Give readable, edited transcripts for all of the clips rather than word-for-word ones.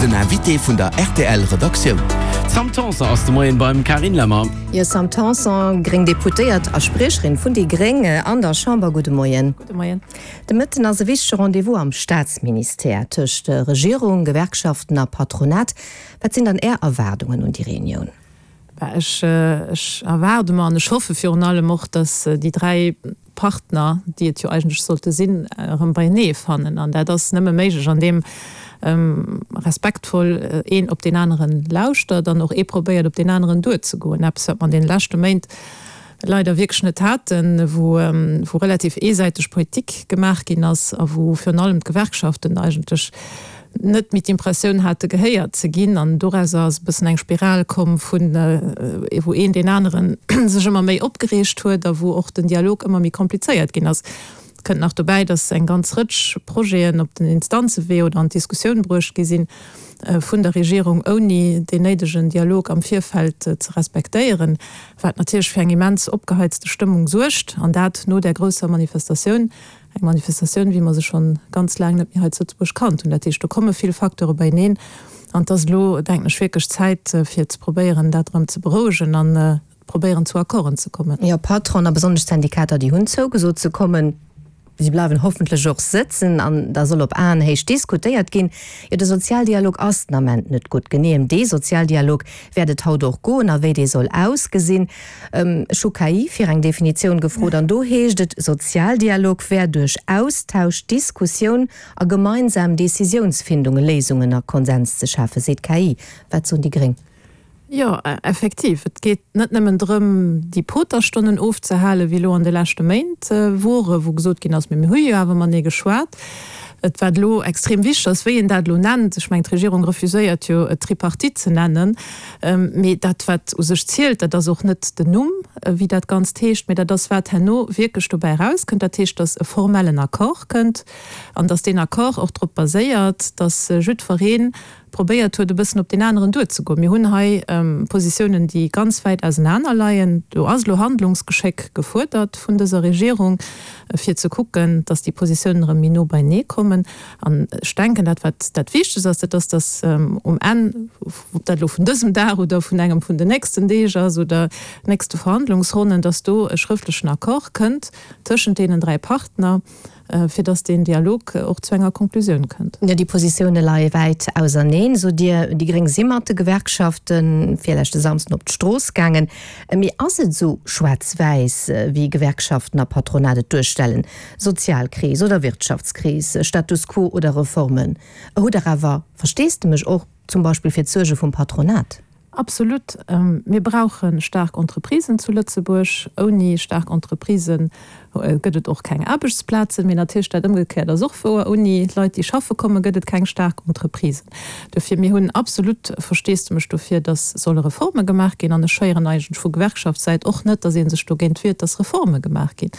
Den Invité vun der rtl Redaktioun. D'Sam Tanson ass de Moien beim Carine Lemmer. Jo, Sam Tanson, gréng Deputéiert a Spriecherin vun déi Gréng an der Chamber, gudde Moien. Gudde Moien. De Mëtten ass e wichtege Rendez-vous am Staatsministère tëscht Regierung, Gewerkschaften a Patronat. Wat sinn dann Är Erwaardungen un déi Reunioun? Ech erwaarde mer an ech hoffe virun allem och, datt déi 3 Partner, déi et jo eigentlech sollte sinn, erëm beienee fannen. An dat ass nëmme méiglech, andeem respektvoll een op deen aneren lauschtert an och ee probéiert, op deen aneren duerzegoen. Eppes, wat mer an deene leschte Méint leider wierklech net haten, wou relativ eesäiteg Politik gemaach ginn ass a wou virun allem d'Gewerkschaften eigentlech net méi d'Impressioun hate gehéiert ze ginn an dorauser ass e bëssen eng Spiral komm vun wou een deen aneren sech ëmmer méi opgereegt huet a wou och den Dialog ëmmer méi komplizéiert ginn ass. Kënnt nach dobäi, datt eng ganz Rëtsch Projeten op den Instanzewee oder an d'Diskussioun bruecht gi sinn vun der Regierung, ouni deen néidegen Dialog am Virfeld ze respektéieren, wat natierlech fir eng immens opgeheizte Stëmmung suergt, an dat no där grousser Manifestatioun, Eng Manifestatioun, wéi mer se schonn ganz laang net méi hei zu Lëtzebuerg kannt hunn. Dat heescht, do komme vill Facteure beieneen. An et ass elo, denken ech, wierklech Zäit, fir ze probéieren, dat erëm ze berouegen an probéieren, zu Accorden ze kommen. Jo, Patronen a besonnesch d'Syndikater, déi hunn zougesot ze kommen. Si bleiwen hoffentlech och sëtzen an da soll op Aenhéicht diskutéiert ginn. Jo, de Sozialdialog ass den Ament net gutt. Genee ëm dee Sozialdialog wäert et haut och goen a wéi dee soll ausgesinn. Ech hu KI fir eng Definitioun gefrot an do heescht et, Sozialdialog wär duerch Austausch, Diskussioun a gemeinsam Decisiounsfindung Léisungen a Konsens ze schafen, seet d'KI. Wat soen déi Gréng? Jo, effektiv. Et geet net nëmmen drëm, déi Poterstonnen ofzehalen, wéi elo an de leschte Méint wore, wou gesot ginn ass, mee mir hu jo awer matenee geschwat. Et wat elo extrem wichteg ass, wéi een dat elo nennt, ech mengen, d'Regierung refuséiert jo, et Tripartite ze nennen, Mee dat, wat u sech zielt, dat ass och net den Numm, wéi dat Ganzt heescht, mee dat ass, wat herno wierklech dobäi erauskënnt. Dat heescht, dass e formellen Accord kënnt an dass deen Accord och drop baséiert, dass jiddweree probéiert huet, e bëssen op deen aneren duerzegoen. Mir hunn hei Positiounen, déi ganz wäit ausenaner leien. Do ass elo Handlungsgeschéck gefuerdert vun dëser Regierung, fir ze kucken, dass déi Positiounen erëm méi no beienee kommen. An ech denken, dat wat dat Wichtegst ass, dat ass, dass um Enn, ob dat elo vun dësem Dag oder vun engem vun den nächsten Deeg ass oder nächste Verhandlungsronnen, dass do e schrëftlechen Accord kënnt tëschent deenen 3 Partner, fir dass deen Dialog och zu enger Konklusioun kënnt. Jo, déi Positioune leie wäit auserneen, sot Dir. Déi Gréng si mat de Gewerkschafte virleschte Samsden op d'Strooss gaangen. Mee ass et esou schwaarz-wäiss, wéi Gewerkschaften a Patronat et duerstellen? Sozialkris oder Wirtschaftskris, Status quo oder Reformen? Hutt Der awer Versteesdemech och zum Beispill fir d'Suerge vum Patronat? Absolut. Mir brauche staark Entreprisen zu Lëtzebuerg. Ouni staark Entreprisë gëtt et och keng Aarbechtsplazen. Mee natierlech dat Ëmgekéiert ass och wouer, Ouni Leit, déi schaffe kommen, gëtt et keng staark Entreprisen. Dofir, mir hunn absolut Versteesdemech dofir, datt solle Reforme gemaach ginn. An ech héieren eigentlech vu Gewerkschaftssäit och net, datt ee sech dogéint wiert, datt Reforme gemaach ginn.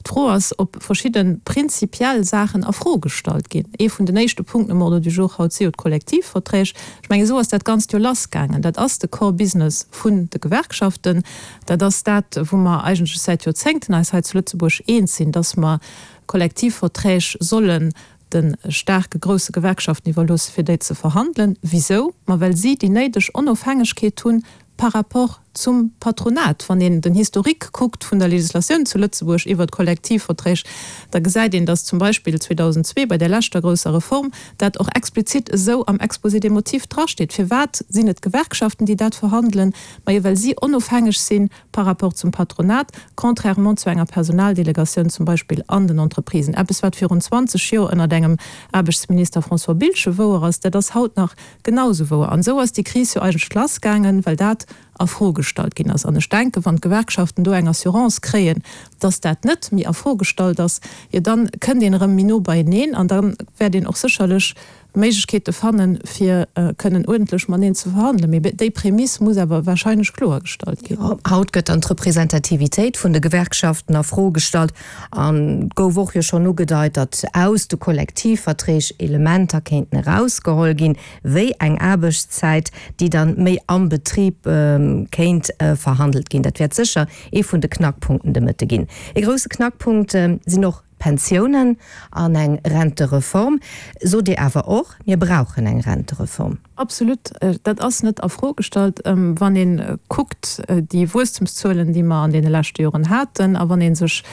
D'Fro ass, ob verschidde prinzipiell Saachen a Fro gestallt ginn. Ee vun den éischte Punkten um Ordre du jour haut si jo d'Kollektivverträg. Ech mengen, esou ass dat Ganzt jo lassgaangen. Dat ass de Core Business vun de Gewerkschaften. Dat ass dat, wou mer eigentlech säit Joerzéngten eis hei zu Lëtzebuerg eens sinn, dass mer Kollektivverträg sollen de staarke grousse Gewerkschaften iwwerloosse fir déi ze verhandelen. Wisou? Ma well si déi néideg Onofhängegkeet hunn par rapport zum Patronat. Wann een den Historique kuckt vun der Legislatioun zu Lëtzebuerg iwwert d'Kollektivverträg, da gesäit een, datt zum Beispill 2002 bei där leschter grousser Reform dat och explizit esou am Exposé des motifs drasteet. Firwat sinn et d'Gewerkschaften, déi dat verhandelen? Majo well si onofhängeg si par rapport zum Patronat, contrairement zu enger Personaldelegatioun zum Beispill an den Entreprisen. Eppes wat virun 20 Joer ënnert engem Aarbechtsminister François Biltgen wouer ass, dat ass haut nach Genau esou wouer. An esou ass déi Kris jo eigentlech lassgaangen, well dat a Fro gestallt ginn ass. An ech denken, wann d'Gewerkschaften do eng Assurance kréien, dass dat net méi a Fro gestallt ass, jo dann kënnt een erëm méi no beieneen an da wäert een och sécherlech Méiglechkeete fannen, fir kënnen uerdentlech mateneen ze verhandelen. Mee déi Prämiss muss awer wahrscheinlech kloergestallt ginn. Haut gëtt dann d'Representativitéit vun de Gewerkschaften a Fro gestallt. An et gouf och jo schonn ugedeit, datt aus de Kollektivverträg Elementer kéinten erausgeholl ginn, wéi eng Aarbechtszäit, déi dann méi am Betrib kéint verhandelt ginn. Dat wäert sécher ee vun de Knackpunkten de Mëtte ginn. Ee grousse Knackpunkt sinn och. d'Pensiounen an eng Rentereform. Sot Dir awer och, mir brauchen eng Rentereform? Absolut, dat ass net a Fro gestallt. Wann ee kuckt déi Wuesstemszuelen, déi mer an deene leschte Joren haten, a wann ee sech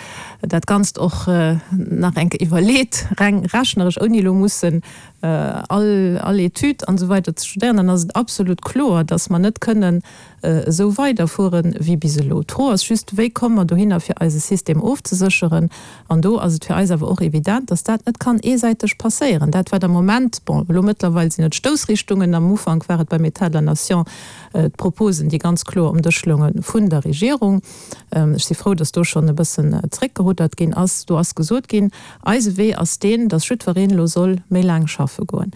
dat Ganzt och nach eng Kéier iwwerleet, reng rechneresch, ouni elo mussen all all Etüd an esou weider ze studéieren, dann ass et absolut kloer, dass mer net kënnen esou weiderfuere wéi bis elo. D'Fro ass just, Wéi komme mer dohinner, fir eise System ofzesécheren? An do ass et fir eis awer och evident, dass dat net kann eesäiteg passéieren. Dat, wat am Moment, bon, elo mëttlerweil sinn et Stoussrichtungen, am Ufank war et beim État de la nation d'Proposen, déi ganz kloer um Dësch lounge vun der Regierung, ech si frou, dass do schonn e bëssen zréckgeruddert ginn ass, do ass gesot ginn, Eise Wee ass deen, dass jiddwereen elo soll méi laang schaffe goen.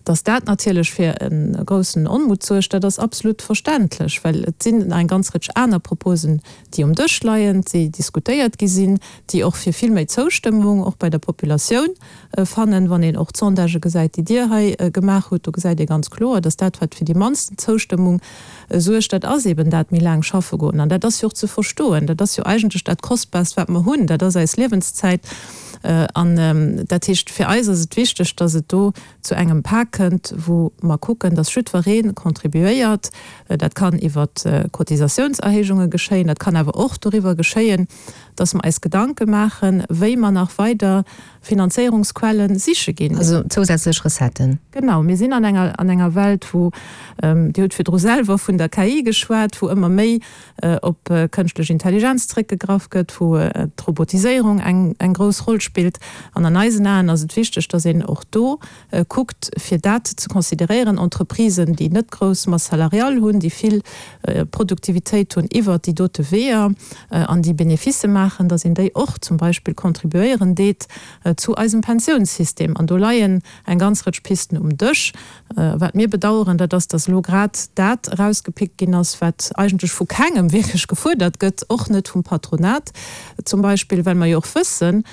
Dass dat natierlech fir e groussen Onmutt suergt, dat ass absolut verständlech, well et sinn nach eng ganz Rëtsch aner Proposen, déi um Dësch leien, déi diskutéiert gi sinn, déi och fir vill méi Zoustëmmung och bei der Populatioun fannen. Wann een och d'Sondagë gesäit, déi Dir hei gemaach hutt, do gesäit ee ganz kloer, dass dat, wat fir déi mannsten Zoustëmmung suergt, dat ass eben dat méi laang schaffe goen. An dat ass jo och ze verstoen. Dat ass jo eigentlech dat Kostbaarst, wat mer hunn, dat ass eis Liewenszäit. An dat heescht, fir eis ass et wichteg, dass et do zu engem Pak kënnt, wou mer kucken, dass jiddweree contribuéiert. Dat kann iwwer Cotisatiounserhéijunge geschéien, dat kann awer och doriwwer geschéien, dass mer eis Gedanke maachen, wéi mer nach weider Finanzéierungsquelle siche ginn. Also zousätzlech Recetten. Genau. Mir sinn an enger, an enger Welt, wou, Dir hutt virdru selwer vun der KI geschwat, wou ëmmer méi op kënschtlech Intelligenz zréckgegraff gëtt, wou d'Robotiséierung eng, eng grouss Roll spillt. An an eisen Aen ass et wichteg, dass een och do kuckt, fir dat ze consideréieren, Entreprisen, déi net grouss Masse salariale hunn, déi vill Produktivitéit hunn iwwert déi dote Weeër an déi Beneficë maachen, datt een déi och zum Beispill contribuéieren deet zu eisem Pensiounssystem. An do leien eng ganz Rëtsch Pisten um Dësch. Wat mir bedauern, dat ass, datt elo grad dat erausgepickt ginn ass, wat eigentlech vu kengem wierklech gefuerdert gëtt, och net vum Patronat zum Beispill, well mer jo och wëssen,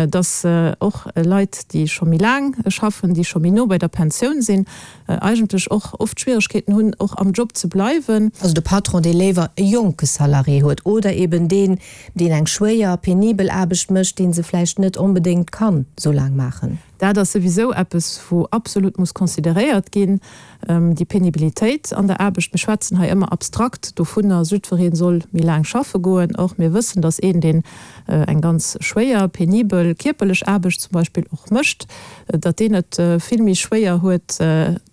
dass och Leit, déi scho méi laang schaffen, déi scho méi no bei der Pensioun sinn, eigentlech och oft Schwieregkeeten hunn, och am Job ze bleiwen. Also de Patron, dee léiwer e jonke Salarié huet oder eben deen, deen eng schwéier, penibel Aarbecht mécht, dee se vläicht net onbedéngt kann esou laang maachen. Dat ass souwisou eppes, wou absolut muss consideréiert ginn, déi Penibilitéit an der Aarbecht. Mir schwätzen hei ëmmer abstrakt dovunner, jiddweree soll méi laang schaffe goen. Or, mir wëssen, dass een, deen eng ganz schwéier, penibel kierperlech Aarbecht zum Beispill och mécht, datt deen et vill méi schwéier huet,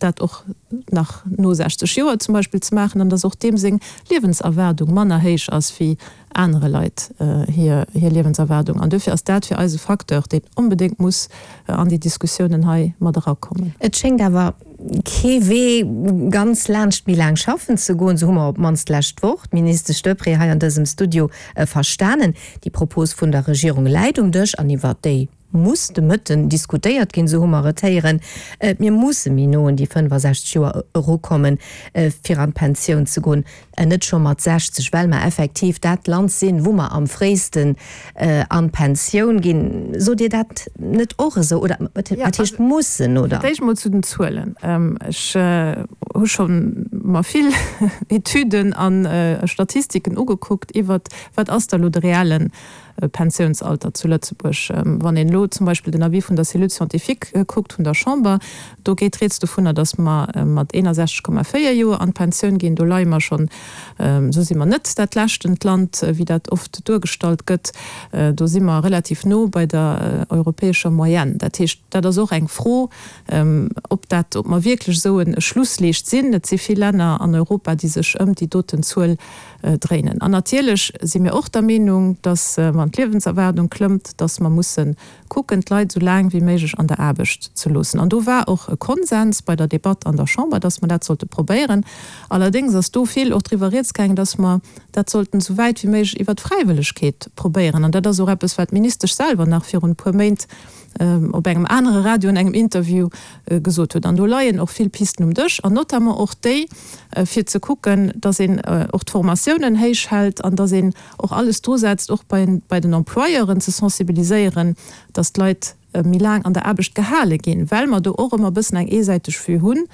dat och nach no 60 Joer zum Beispill ze maachen, an dass och deem seng Liewenserwaardung manner héich ass wéi anere Leit hir Liewenserwaardung. An duerfir ass dat fir eis e Facteur, deen onbedéngt muss an déi Diskussiounen hei mat erakommen. Et schéngt awer kee Wee ganz laanscht méi laang schaffen ze goen, esou hu mer op d'mannst d'lescht Woch d'Ministesch Deprez hei an dësem Studio verstanen. Déi Propos vun der Regierung läit um Dësch an iwwert déi muss de Mëtten diskutéiert ginn, esou hu mer et héieren. Mir musse méi no un déi 65 Joer erukommen, fir an d'Pensioun ze goen, net scho mat 60, well mer effektiv dat Land sinn, wou mer am fréisten an d'Pensioun ginn. Sot Dir dat net och esou? Oder wat heescht mussen, oder? Fir d'éischt emol zu den Zuelen. Ech hu scho mer vill Etüden a Statistiken ugekuckt iwwert, wat ass da elo de reellen Pensiounsalter zu Lëtzebuerg. Wann een elo zum Beispill den Avis vun der Cellule scientifique kuckt vun der Chamber, do geet rieds dovunner, datt mer mat 61,4 Joer an d'Pensioun ginn. Do leie mer schonn, esou si mer net dat leschtent Land, wéi dat oft duergestallt gëtt. Do si mer relativ no bei der europäescher Moyenne. Dat heescht, dat ass och eng Fro, ob dat, ob mer wierklech esou e Schlussliicht sinn. Et si vill Länner an Europa, déi sech ëm déi doten Zuel dréinen. An natierlech si mir och der Meenung, dass, wann d'Liewenserwaardung klëmmt, dass mer musse kucken, d'Leit esou laang wéi méiglech an der Aarbecht ze loossen. An do war och e Konsens bei der Debatt an der Chamber, dass mer dat sollte probéieren. Allerdéngs ass do vill och driwwer rieds gaangen, dass mer dat sollten esou wäit wéi méiglech iwwert d'Fräiwëllegkeet probéieren. An dat ass och eppes, wat d'Ministesch selwer nach virun e puer Méint op engem anere Radio an engem Interview gesot huet. An do leien och vill Pisten um Dësch, an notamment och déi, fir ze kucken, dass een och d'Formatiounen héich hält an dass een och alles drusetzt, och bei den Employeuren ze sensibiliséieren, dass d'Leit. méi laang an der Aarbecht gehale ginn, well mer do och ëmmer e bëssen eng eesäiteg Vue hunn,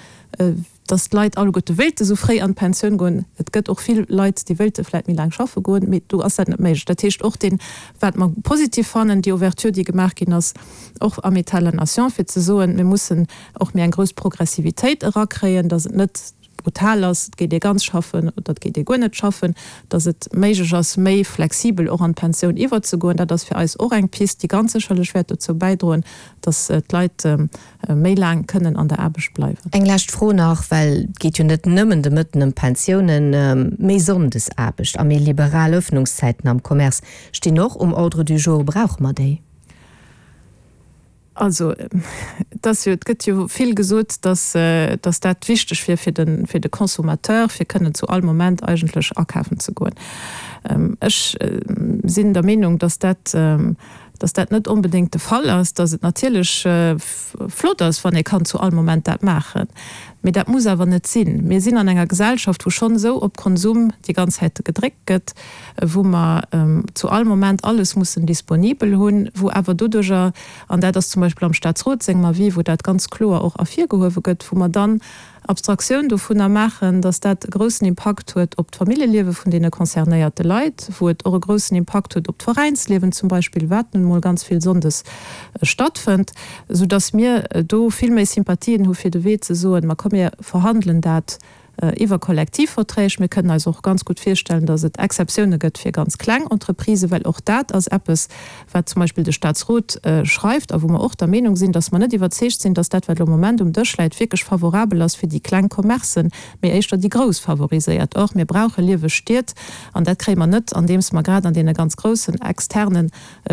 dass d'Leit alleguerte wéilte sou fréi an d'Pensioun goen. Et gëtt och vill Leit, déi wéilte vläicht méi laang schaffe goen, mee do ass dat net méiglech. Dat heescht, och deen, wat mer positiv fannen, déi Ouverture, déi gemaach ginn ass, och am État de la nation, fir ze soen, mir mussen och méi eng grouss Progressivitéit erakréien, dass et net brutal ass, et geet ee ganz schaffen oder et geet ee guer net schaffen, dass et méiglech ass, méi flexibel och an d'Pensioun iwwerzegoen. Dat ass fir eis och eng Pist, déi ganz sécherlech wäert dozou bäidroen, dass d'Leit méi laang kënnen an der Aarbecht bleiwen. Eng lescht Fro nach, well et geet jo net nëmmen de Mëtten ëm d'Pensiounen. Méi Sonndesaarbecht a méi liberal Öffnungszäiten am Commerce stinn och um Ordre du jour. Brauche mer déi? Also, et ass jo, et gëtt jo vill gesot, dass, dass dat wichteg wier fir de, fir de Consommateur, fir kënnen zu all Moment eigentlech akafen ze goen. Ech sinn der Meenung, dass dat, dass dat net onbedéngt de Fall ass, dass et natierlech flott ass, wann ee kann zu all Moment dat maachen, mee dat muss awer net sinn. Mir sinn an enger Gesellschaft, wou schonn esou op Konsum déi ganz Zäite gedréckt gëtt, wou mer zu all Moment alles mussen disponibel hunn, wou awer doduerjer, an dat ass zum Beispill am Statsrot sengem Avis, wou dat ganz kloer och ervirgehuewe gëtt, wou mer dann Abstraktioun dovunner maachen, datt dat e groussen Impakt huet op d'Familljeliewe vun deene concernéierte Leit, wou et och e groussen Impakt huet op d'Veräinsliewen zum Beispill, wat nun emol ganz vill sonndes stattfënnt, soudatt mir do vill méi Sympathien hu fir de Wee ze soen, ma komm mir verhandelen dat iwwer Kollektivverträg. Mir kënnen eis och ganz gutt virstellen, datt et Exceptioune gëtt fir ganz kleng Entreprisen, well och dat ass eppes, wat zum Beispill de Statsrot schreift a wou mer och der Meenung sinn, datt mer net iwwerzeegt sinn, datt dat, wat elo am Moment um Dësch läit, wierklech favorabel ass fir déi kleng Commercen, mee éischter déi grouss favoriséiert. Or, mir brauche lieweg Stied an dat kréie mer net, andeems mer grad an deene ganz groussen externen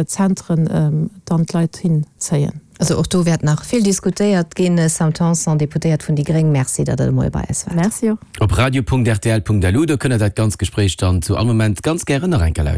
Zentren dann d'Leit hinzéien. Also och do wäert nach vill diskutéiert ginn. Sam Tanson, Deputéiert vun déi gréng, Merci, datt Der de Moie bei eis waart. Merci och. Op radio.rtl.lu, do kënnt Der dat ganz Gespréich dann zu all Moment ganz gären nach eng Kéier lauschteren.